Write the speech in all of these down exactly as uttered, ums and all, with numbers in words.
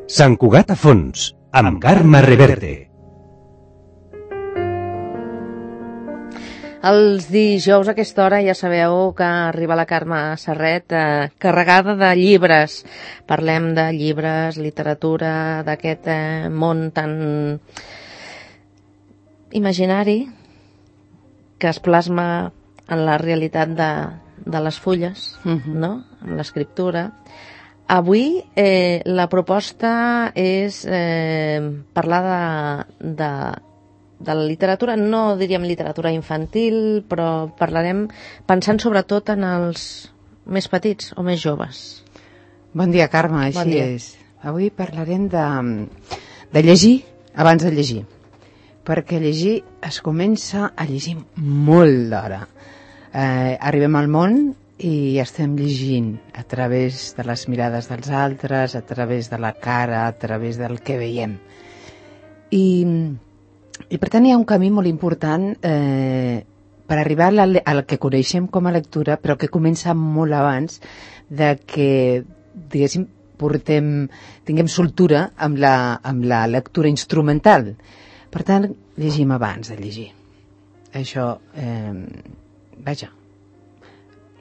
Sant Cugat a fons, amb Carme Reverte. Els dijous a aquesta hora ja sabeu que arriba la Carme Serret eh, carregada de llibres. Parlem de llibres, literatura, d'aquest eh, món tan imaginari que es plasma en la realitat de, de les fulles, uh-huh. no? En l'escriptura. Avui eh, la proposta és eh, parlar de, de de la literatura, no diríem literatura infantil, però parlarem pensant sobretot en els més petits o més joves. Bon dia, Carme, així bon dia. és. Avui parlarem de, de llegir abans de llegir, perquè llegir es comença a llegir molt d'hora. Eh, arribem al món i estem llegint a través de les mirades dels altres, a través de la cara, a través del que veiem. I I per tant hi ha un camí molt important eh, per arribar al que coneixem com a lectura, però que comença molt abans de que, diguéssim, portem, tinguem soltura amb la, amb la lectura instrumental. Per tant, llegim abans de llegir. Això, eh, vaja,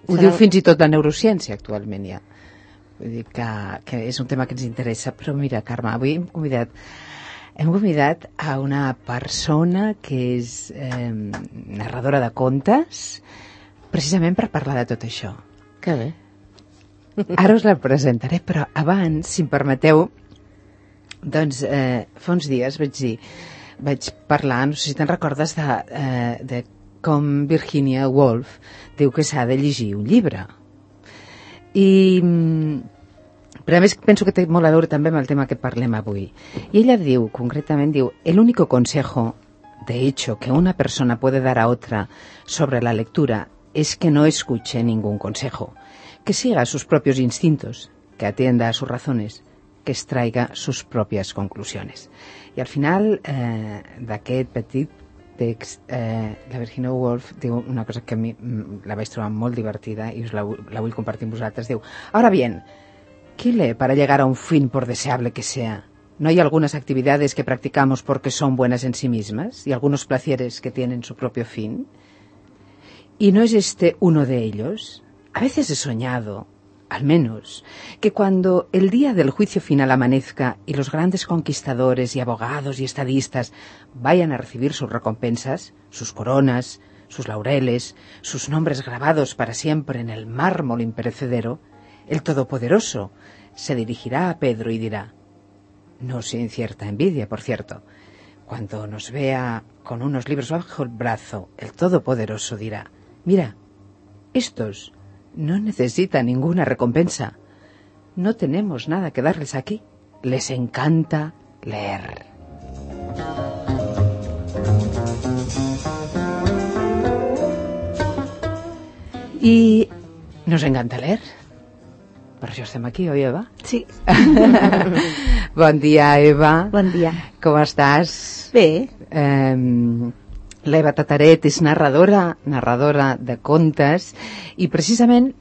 ho Serà... diu fins i tot la neurociència actualment ja. Vull dir que, que és un tema que ens interessa. Però mira, Carme, avui hem convidat Hem convidat a una persona que és eh, narradora de contes, precisament per parlar de tot això. Que bé. Ara us la presentaré, però abans, si em permeteu, doncs eh, fa uns dies vaig dir, vaig parlar, no sé si te'n recordes, de, eh, de com Virginia Woolf diu que s'ha de llegir un llibre. I... Però a més penso que té molt a veure també amb el tema que parlem avui. I ella diu, concretament diu, el único consejo, de hecho, que una persona puede dar a otra sobre la lectura es que no escuche ningún consejo, que siga sus propios instintos, que atienda a sus razones, que extraiga sus propias conclusiones. I al final eh, d'aquest petit text, eh, la Virginia Woolf diu una cosa que a mi la vaig trobar molt divertida i us la, la vull compartir amb vosaltres. Diu, ahora bien, ¿qué lee para llegar a un fin por deseable que sea? ¿No hay algunas actividades que practicamos porque son buenas en sí mismas y algunos placeres que tienen su propio fin? ¿Y no es este uno de ellos? A veces he soñado, al menos, que cuando el día del juicio final amanezca y los grandes conquistadores y abogados y estadistas vayan a recibir sus recompensas, sus coronas, sus laureles, sus nombres grabados para siempre en el mármol imperecedero, el Todopoderoso se dirigirá a Pedro y dirá, no sin cierta envidia, por cierto, cuando nos vea con unos libros bajo el brazo, el Todopoderoso dirá, mira, estos no necesitan ninguna recompensa, no tenemos nada que darles aquí, les encanta leer. Y nos encanta leer. Per això estem aquí, oi, Eva? Sí. Bon dia, Eva. Bon dia. Com estàs? Bé. Eh, L'Eva Tataret és narradora, narradora de contes, i precisament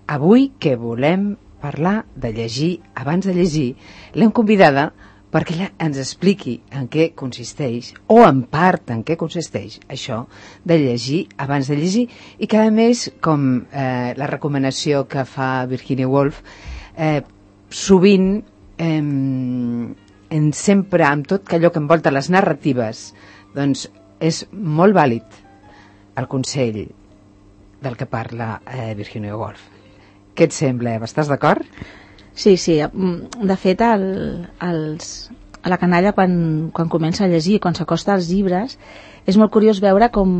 avui que volem parlar de llegir abans de llegir, l'hem convidada perquè ella ens expliqui en què consisteix, o en part en què consisteix això de llegir abans de llegir, i que a més, com eh, la recomanació que fa Virginia Woolf, eh, sovint eh, en sempre, amb tot allò que envolta les narratives, doncs és molt vàlid el consell del que parla eh, Virginia Woolf. Què et sembla, Eva? Estàs d'acord? Sí, sí. De fet, el, els, a la canalla, quan, quan comença a llegir, quan s'acosta als llibres, és molt curiós veure com,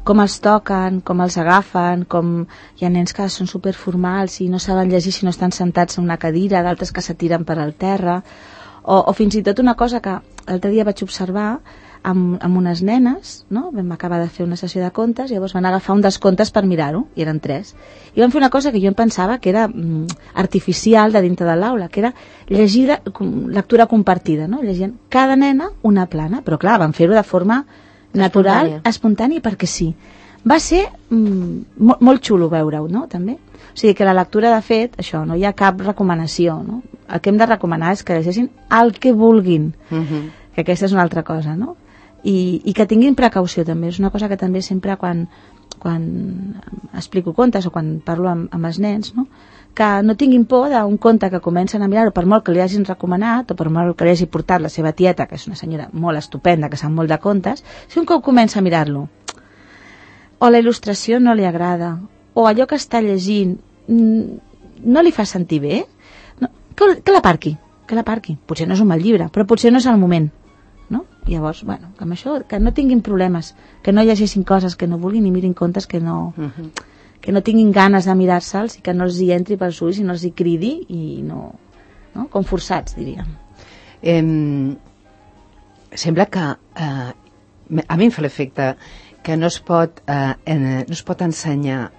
com els toquen, com els agafen, com hi ha nens que són superformals i no saben llegir si no estan sentats en una cadira, d'altres que s'atiren per al terra, o, o fins i tot una cosa que l'altre dia vaig observar amb, amb unes nenes, no? Vam acabar de fer una sessió de contes, i llavors van agafar un dels contes per mirar-ho, i eren tres, i van fer una cosa que jo em pensava que era mm, artificial de dintre de l'aula, que era llegir de, lectura compartida, no? Llegint cada nena una plana, però clar, van fer-ho de forma natural, espontània, perquè sí. Va ser mm, molt, molt xulo veure-ho, no? També. O sigui que la lectura, de fet, això, no hi ha cap recomanació, no? El que hem de recomanar és que llegeixin el que vulguin, Uh-huh. que aquesta és una altra cosa, no? I, i que tinguin precaució també, és una cosa que també sempre quan, quan explico contes o quan parlo amb, amb els nens, no? Que no tinguin por d'un conte que comencen a mirar-ho, per molt que li hagin recomanat o per molt que li hagi portat la seva tieta, que és una senyora molt estupenda, que sap molt de contes, si un cop comença a mirar-lo o la il·lustració no li agrada o allò que està llegint no li fa sentir bé, no, que, que l'aparqui, que l'aparqui. Potser no és un mal llibre, però potser no és el moment, no? Llavors, bueno, que amb això, que no tinguin problemes, que no llegeixin coses que no vulguin i mirin contes que no... Uh-huh. que no tinguin ganes de mirar-se'ls i que no els hi entri pels ulls i no els hi cridi i no, no? Com forçats, diríem. Eh, sembla que eh, a mi em fa l'efecte que no es pot eh, en, no es pot ensenyar,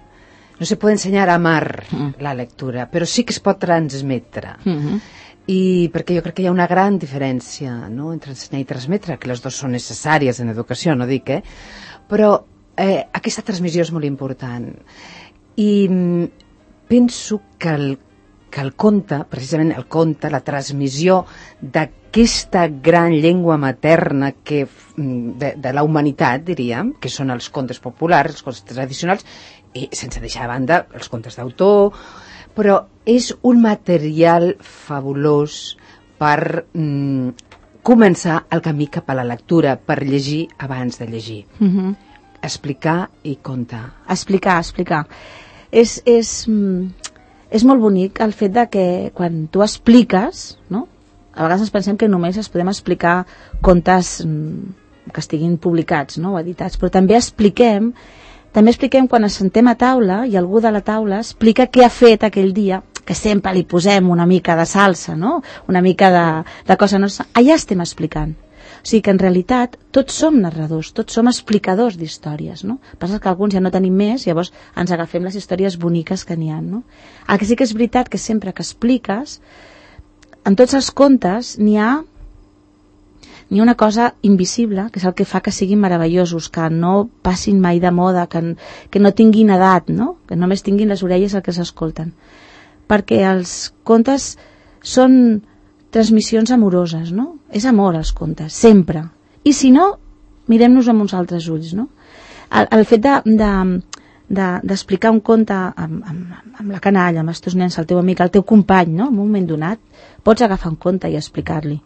no se pot ensenyar a amar mm. la lectura, però sí que es pot transmetre. Mm-hmm. I perquè jo crec que hi ha una gran diferència, no?, entre ensenyar i transmetre, que les dues són necessàries en educació, no dic, eh? Però Eh, aquesta transmissió és molt important i mm, penso que el, que el conte, precisament el conte, la transmissió d'aquesta gran llengua materna que, de, de la humanitat, diríem, que són els contes populars, els contes tradicionals, i sense deixar de banda els contes d'autor, però és un material fabulós per mm, començar el camí cap a la lectura, per llegir abans de llegir. Mm-hmm. Explicar i contar. Explicar, explicar. És, és, és molt bonic el fet de que quan tu expliques, no? A vegades ens pensem que només es podem explicar contes que estiguin publicats, no? O editats, però també expliquem, també expliquem quan ens sentem a taula i algú de la taula explica què ha fet aquell dia, que sempre li posem una mica de salsa, no? Una mica de, de cosa nostra. Allà estem explicant. O sigui que en realitat tots som narradors, tots som explicadors d'històries, no? Passa que alguns ja no tenim més, llavors ens agafem les històries boniques que n'hi ha, no? El que sí que és veritat que sempre que expliques, en tots els contes n'hi ha n'hi ha una cosa invisible, que és el que fa que siguin meravellosos, que no passin mai de moda, que, que no tinguin edat, no? Que només tinguin les orelles el que s'escolten. Perquè els contes són transmissions amoroses, no? És amor als contes, sempre. I si no, mirem-nos amb uns altres ulls, no? El, el fet de, de, de, d'explicar un conte amb, amb, amb la canalla, amb els teus nens, el teu amic, el teu company, no? En un moment donat, pots agafar un conte i explicar-li,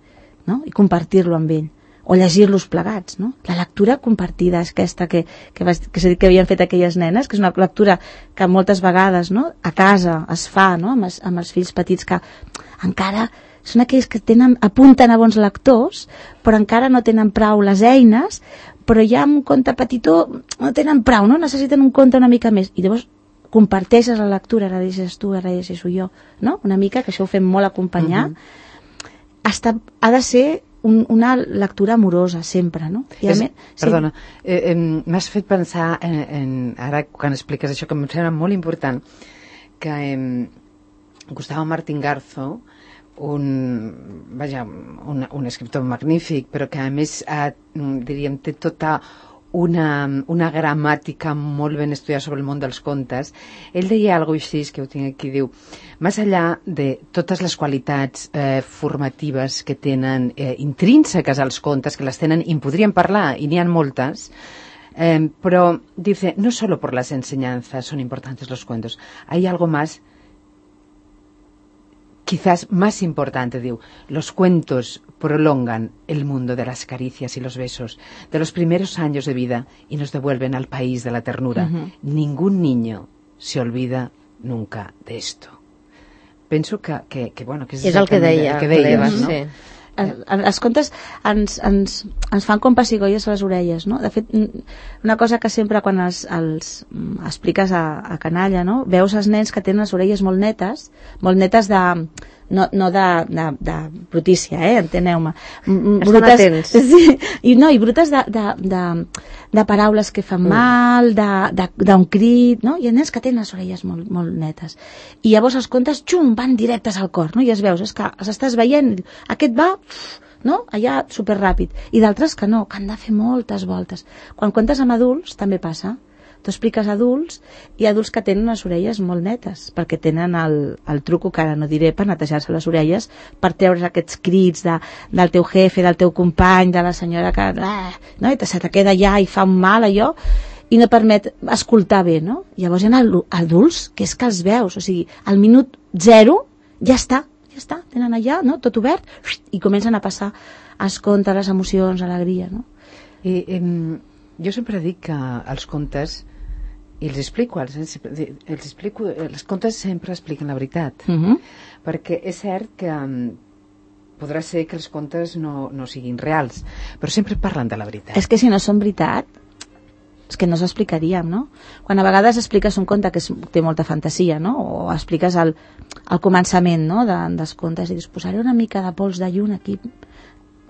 no? I compartir-lo amb ell. O llegir-los plegats, no? La lectura compartida és aquesta que, que, vas, que s'ha dit que havien fet aquelles nenes, que és una lectura que moltes vegades, no? A casa es fa, no? Amb els, amb els fills petits que encara són aquells que tenen, apunten a bons lectors, però encara no tenen prou les eines, però ja amb un conte petitó no tenen prou, no? Necessiten un conte una mica més. I llavors comparteixes la lectura, ara llegeixes tu, ara llegeixo jo, no? Una mica, que això ho fem molt acompanyar. Uh-huh. Està, ha de ser un, una lectura amorosa, sempre, no? I és, més, perdona, sí. eh, eh, m'has fet pensar, en, en, ara quan expliques això, que em sembla molt important, que eh, Gustavo Martín Garzo, un, vaja, un, un escriptor magnífic, però que a més ha, diríem, té tota una, una gramàtica molt ben estudiada sobre el món dels contes. Ell deia alguna cosa així, que ho tinc aquí, diu, més enllà de totes les qualitats eh, formatives que tenen eh, intrínseques als contes, que les tenen i en podríem parlar, i n'hi ha moltes, eh, però dice, no solo por las enseñanzas son importantes los cuentos, hay algo más, quizás más importante, diu, los cuentos prolongan el mundo de las caricias y los besos, de los primeros años de vida y nos devuelven al país de la ternura. Uh-huh. Ningún niño se olvida nunca de esto. Penso que, que, que bueno, que és, és el que deia, el que deies, no? Sí. Els contes ens, ens, ens fan com pessigolles a les orelles, no? De fet, una cosa que sempre quan els, els expliques a, a canalla, no? Veus els nens que tenen les orelles molt netes, molt netes de... no, no de, de, de brutícia, eh? Enteneu-me. Estan atents. Sí, i no, i brutes de, de, de, de paraules que fan mal, d'un crit, no? Hi ha nens que tenen les orelles molt, molt netes. I llavors els contes, xum, van directes al cor, no? I es veus, és que els estàs veient, aquest va... no? Allà superràpid, i d'altres que no, que han de fer moltes voltes. Quan contes amb adults també passa, Tu expliques a adults i adults que tenen les orelles molt netes, perquè tenen el, el truco, que ara no diré, per netejar-se les orelles, per treure's aquests crits de, del teu jefe, del teu company, de la senyora que ah, no? I se te queda allà i fa un mal allò, i no permet escoltar bé, no? Llavors hi ha adults que és que els veus, o sigui, al minut zero ja està, ja està, tenen allà, no? Tot obert, i comencen a passar els contes, les emocions, l'alegria, no? I, em, jo sempre dic que els contes, i els explico, els, els explico, els contes sempre expliquen la veritat, Uh -huh. perquè és cert que um, podrà ser que els contes no, no siguin reals, però sempre parlen de la veritat. És que si no són veritat, és que no s'explicaríem, no? Quan a vegades expliques un conte que és, té molta fantasia, no? O expliques el, el començament, no? de, dels contes i dius, posaré una mica de pols de lluna aquí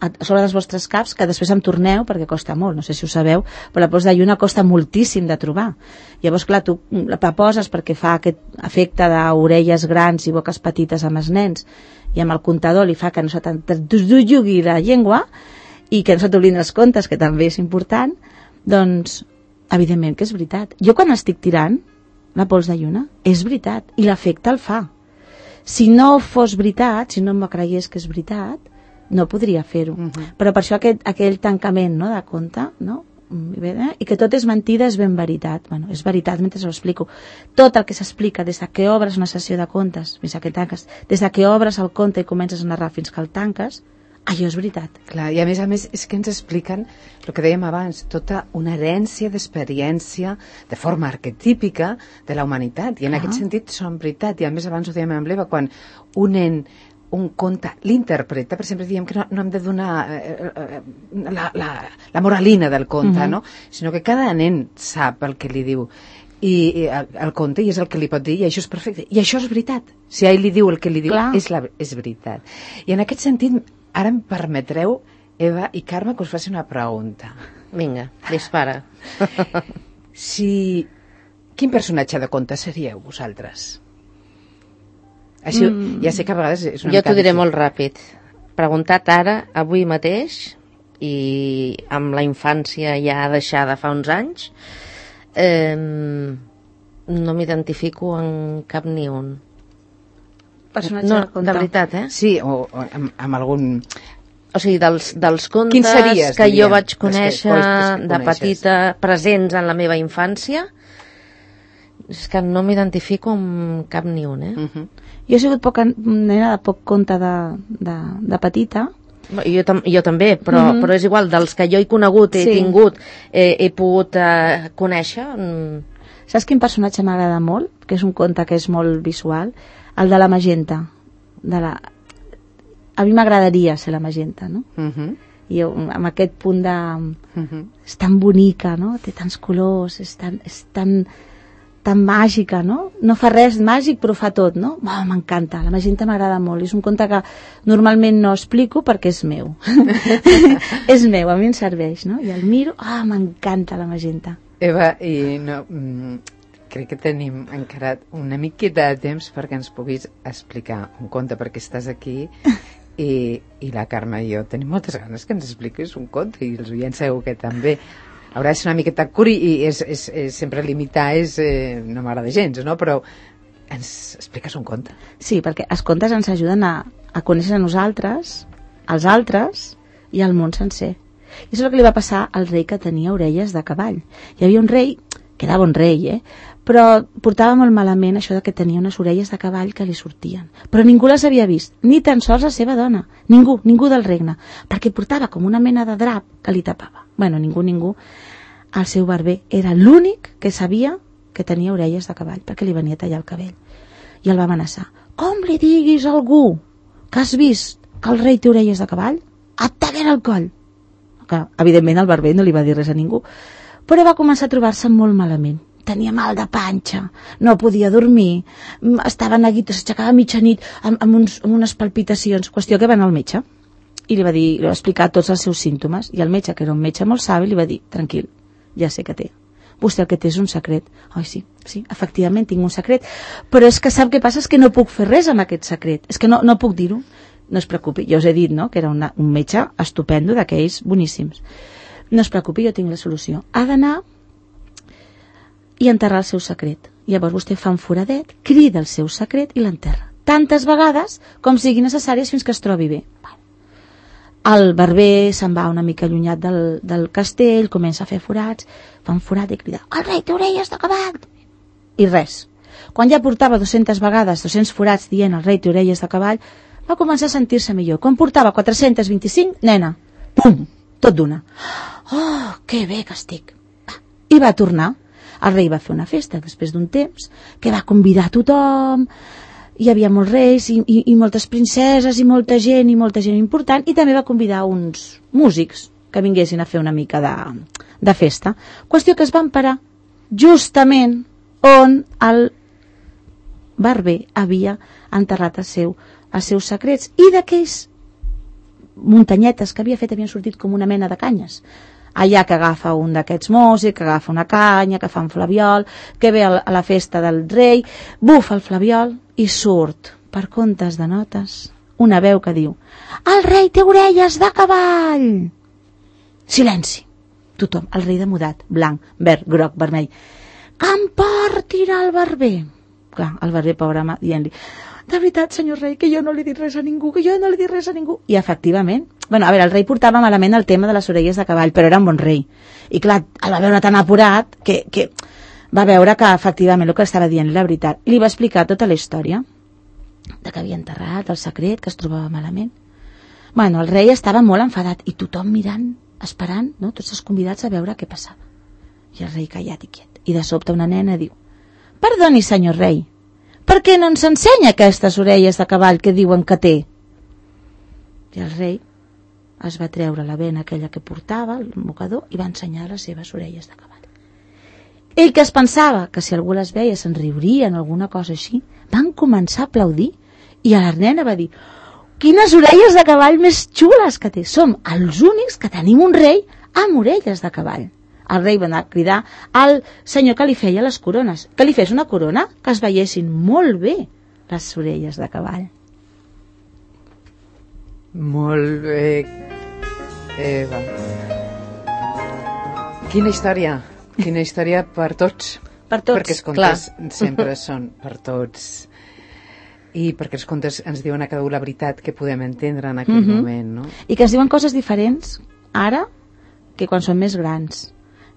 a sobre dels vostres caps, que després em torneu perquè costa molt, no sé si ho sabeu, però la pols de lluna costa moltíssim de trobar. Llavors, clar, tu la poses perquè fa aquest efecte d'orelles grans i boques petites amb els nens, i amb el comptador li fa que no se t'enjugui la llengua i que no se t'oblidin els contes, que també és important, doncs, evidentment que és veritat. Jo quan estic tirant la pols de lluna, és veritat, i l'efecte el fa. Si no fos veritat, si no me creiés que és veritat, no podria fer-ho. Uh -huh. Però per això aquest, aquell tancament, no?, de conte, no?, i que tot és mentida és ben veritat. Bueno, és veritat mentre ho explico. Tot el que s'explica des de que obres una sessió de contes fins a que tanques, des de que obres el conte i comences a narrar fins que el tanques, allò és veritat. Clar, i a més a més és que ens expliquen el que dèiem abans, tota una herència d'experiència de forma arquetípica de la humanitat, i en uh -huh. aquest sentit són veritat. I a més abans ho dèiem amb l'Eva, quan un nen un conte l'interpreta, per exemple diem que no, no hem de donar eh, eh, la, la, la moralina del conte, uh -huh. no? Sinó que cada nen sap el que li diu i, i el, el conte, i és el que li pot dir, i això és perfecte, i això és veritat. Si ell li diu el que li diu, és, la, és veritat. I en aquest sentit, ara em permetreu, Eva i Carme, que us faci una pregunta. Vinga, dispara. Si... Quin personatge de conte seríeu vosaltres? Així, mm. ja sé que a vegades és una jo t'ho diré difícil. molt ràpid. Preguntat ara, avui mateix, i amb la infància ja deixada fa uns anys, eh, no m'identifico en cap ni un. Personatge no, de conte. de veritat, eh? Sí, o, o amb, amb algun... O sigui, dels, dels contes series, que diria, jo vaig que- conèixer que de petita, presents en la meva infància, és que no m'identifico amb cap ni un, eh? Uh -huh. Jo he sigut poca nena de poc conte de, de, de petita. Jo, tam jo també, però, mm -hmm. però és igual, dels que jo he conegut, he Sí. tingut, eh, he pogut eh, conèixer... Mm. Saps quin personatge m'agrada molt? Que és un conte que és molt visual. El de la magenta. De la... A mi m'agradaria ser la magenta, no? Uh -huh. I jo, amb aquest punt de... Uh -huh. És tan bonica, no? Té tants colors, és tan... És tan tan màgica, no? No fa res màgic, però fa tot, no? Oh, m'encanta, la magenta m'agrada molt. És un conte que normalment no explico perquè és meu. És meu, a mi em serveix, no? I el miro, ah, oh, m'encanta la magenta. Eva, i no, mm, crec que tenim encara una miqueta de temps perquè ens puguis explicar un conte, perquè estàs aquí i, i la Carme i jo tenim moltes ganes que ens expliquis un conte, i els oients segur que també. Haurà de ser una miqueta curi i és, és, és sempre limitar és, eh, no m'agrada gens, no? Però ens expliques un conte. Sí, perquè els contes ens ajuden a, a conèixer a nosaltres, als altres i al món sencer. I això és el que li va passar al rei que tenia orelles de cavall. Hi havia un rei, que era bon rei, eh? Però portava molt malament això de que tenia unes orelles de cavall que li sortien. Però ningú les havia vist, ni tan sols la seva dona. Ningú, ningú del regne, perquè portava com una mena de drap que li tapava. Bueno, ningú, ningú. El seu barber era l'únic que sabia que tenia orelles de cavall, perquè li venia a tallar el cabell. I el va amenaçar. Com li diguis a algú que has vist que el rei té orelles de cavall, et tallaré el coll. Que, evidentment, el barber no li va dir res a ningú. Però va començar a trobar-se molt malament. Tenia mal de panxa, no podia dormir, estava neguit, s'aixecava a mitjanit amb, amb, uns, amb unes palpitacions. Qüestió que va anar al metge i li va dir, li va explicar tots els seus símptomes, i el metge, que era un metge molt savi, li va dir, tranquil, ja sé que té. Vostè el que té és un secret. Ai, sí, sí, efectivament tinc un secret, però és que sap què passa? És que no puc fer res amb aquest secret, és que no, no puc dir-ho. No es preocupi, jo us he dit, no?, que era una, un metge estupendo, d'aquells boníssims. No es preocupi, jo tinc la solució. Ha d'anar i enterrar el seu secret. Llavors vostè fa un foradet, crida el seu secret i l'enterra. Tantes vegades com sigui necessàries fins que es trobi bé. El barber se'n va una mica allunyat del, del castell, comença a fer forats, fa un forat i crida: el rei té orelles de cavall! I res. Quan ja portava dues-centes vegades, dos-cents forats dient el rei té orelles de cavall, va començar a sentir-se millor. Quan portava quatre-cents vint-i-cinc, nena, pum, tot d'una. Oh, que bé que estic. I va tornar. El rei va fer una festa després d'un temps, que va convidar a tothom. Hi havia molts reis i, i, i moltes princeses i molta gent i molta gent important, i també va convidar uns músics que vinguessin a fer una mica de, de festa. Qüestió que es van parar justament on el barber havia enterrat el seu, els seus secrets, i d'aquells muntanyetes que havia fet havien sortit com una mena de canyes. Allà que agafa un d'aquests músics, que agafa una canya, que fa un flabiol, que ve a la festa del rei, bufa el flabiol i surt, per comptes de notes, una veu que diu: el rei té orelles de cavall! Silenci. Tothom, el rei demudat, blanc, verd, groc, vermell. Que em portin al barber. Clar, el barber, pobre home, dient-li: de veritat, senyor rei, que jo no li he dit res a ningú, que jo no li he dit res a ningú. I efectivament, bueno, a veure, el rei portava malament el tema de les orelles de cavall, però era un bon rei. I clar, el va veure tan apurat que, que va veure que efectivament el que estava dient la veritat. I li va explicar tota la història de que havia enterrat el secret, que es trobava malament. Bueno, el rei estava molt enfadat i tothom mirant, esperant, no? Tots els convidats a veure què passava. I el rei callat i quiet. I de sobte una nena diu: perdoni, senyor rei, per què no ens ensenya aquestes orelles de cavall que diuen que té? I el rei es va treure la vena aquella que portava, el mocador, i va ensenyar les seves orelles de cavall. Ell, que es pensava que si algú les veia se'n riurien, alguna cosa així, van començar a aplaudir, i a la nena va dir: quines orelles de cavall més xules que té! Som els únics que tenim un rei amb orelles de cavall. El rei va anar a cridar al senyor que li feia les corones, que li fes una corona que es veiessin molt bé les orelles de cavall. Molt bé, Eva. Quina història, quina història per tots. Per tots, perquè els contes clar. sempre són per tots. I perquè els contes ens diuen a cada un la veritat que podem entendre en aquell mm-hmm. moment, no? I que ens diuen coses diferents ara que quan són més grans.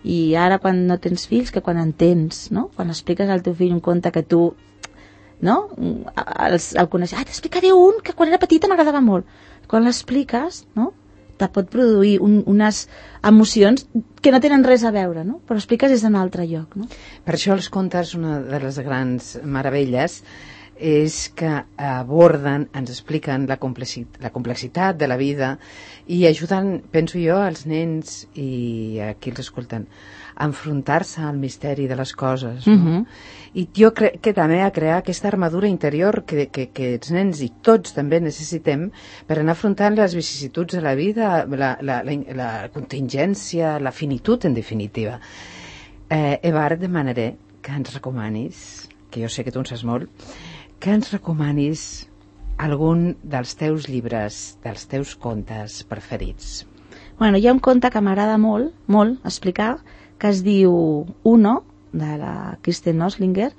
I ara quan no tens fills que quan en tens, no? Quan expliques al teu fill un conte que tu, no? El, el coneixes. Ah, t'explicaré un que quan era petita m'agradava molt. Quan l'expliques, no? Te pot produir un, unes emocions que no tenen res a veure, no? Però expliques des d'un altre lloc, no? Per això els contes, una de les grans meravelles, és que aborden, ens expliquen la complexitat, la complexitat de la vida i ajuden, penso jo, als nens i a qui els escolten a enfrontar-se al misteri de les coses, no? Uh-huh. I jo crec que també a crear aquesta armadura interior que, que, que els nens i tots també necessitem per anar afrontant les vicissituds de la vida, la, la, la, la contingència, la finitud, en definitiva. Eh, Eva, ara et demanaré que ens recomanis, que jo sé que tu en saps molt, que ens recomanis algun dels teus llibres, dels teus contes preferits. Bueno, hi ha un conte que m'agrada molt, molt explicar, que es diu Uno, de la Kirsten Oslinger,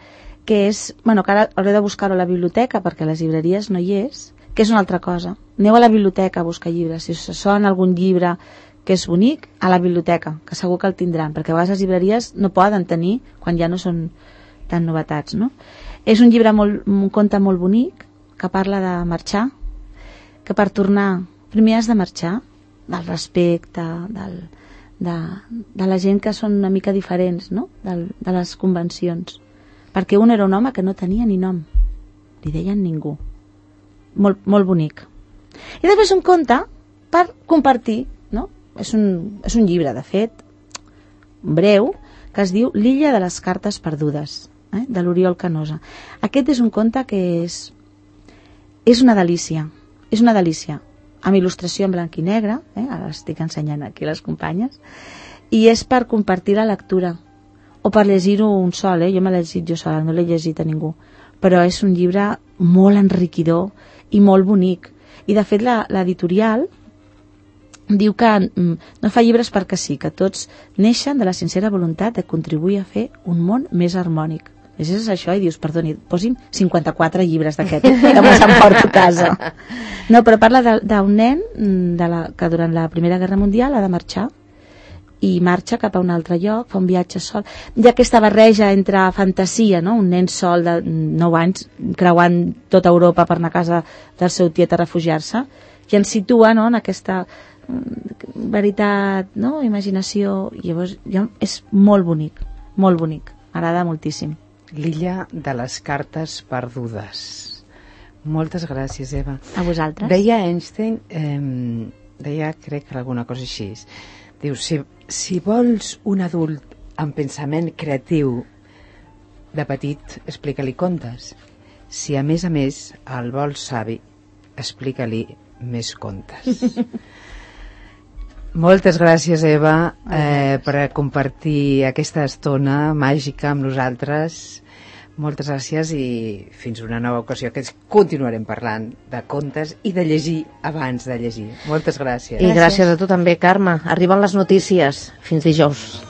que és, bueno, que ara hauré de buscar-ho a la biblioteca perquè a les llibreries no hi és, que és una altra cosa. Aneu a la biblioteca a buscar llibres. Si us sona algun llibre que és bonic, a la biblioteca, que segur que el tindran, perquè a vegades les llibreries no poden tenir quan ja no són tan novetats, no? És un llibre molt, un conte molt bonic que parla de marxar, que per tornar primer has de marxar, del respecte, del, de, de la gent que són una mica diferents, no? Del, de les convencions. Perquè un era un home que no tenia ni nom, li deien ningú. Molt, molt bonic. I després un conte per compartir, no? És un, és un llibre, de fet, breu, que es diu L'illa de les cartes perdudes, eh? De l'Oriol Canosa. Aquest és un conte que és és una delícia, és una delícia, amb il·lustració en blanc i negre, eh? Ara estic ensenyant aquí a les companyes, i és per compartir la lectura, o per llegir-ho un sol, eh? Jo me l'he llegit jo sola, no l'he llegit a ningú, però és un llibre molt enriquidor i molt bonic, i de fet l'editorial diu que mm, no fa llibres perquè sí, que tots neixen de la sincera voluntat de contribuir a fer un món més harmònic. Llegeixes això i dius, perdoni, posi'm cinquanta-quatre llibres d'aquest, que me s'emporto a casa. No, però parla d'un nen de la, que durant la Primera Guerra Mundial ha de marxar, i marxa cap a un altre lloc, fa un viatge sol. Hi ha aquesta barreja entre fantasia, no? Un nen sol de nou anys creuant tota Europa per anar a casa del seu tiet a refugiar-se, i ens situa, no?, en aquesta veritat, no?, imaginació. I llavors ja és molt bonic, molt bonic, m'agrada moltíssim. L'illa de les cartes perdudes. Moltes gràcies, Eva. A vosaltres. Deia Einstein, eh, deia, crec que alguna cosa així, diu, si, si vols un adult amb pensament creatiu de petit, explica-li contes. Si a més a més el vols savi, explica-li més contes. Moltes gràcies, Eva, eh, per compartir aquesta estona màgica amb nosaltres. Moltes gràcies i fins una nova ocasió, que continuarem parlant de contes i de llegir abans de llegir. Moltes gràcies. I gràcies a tu també, Carme. Arriben les notícies. Fins dijous.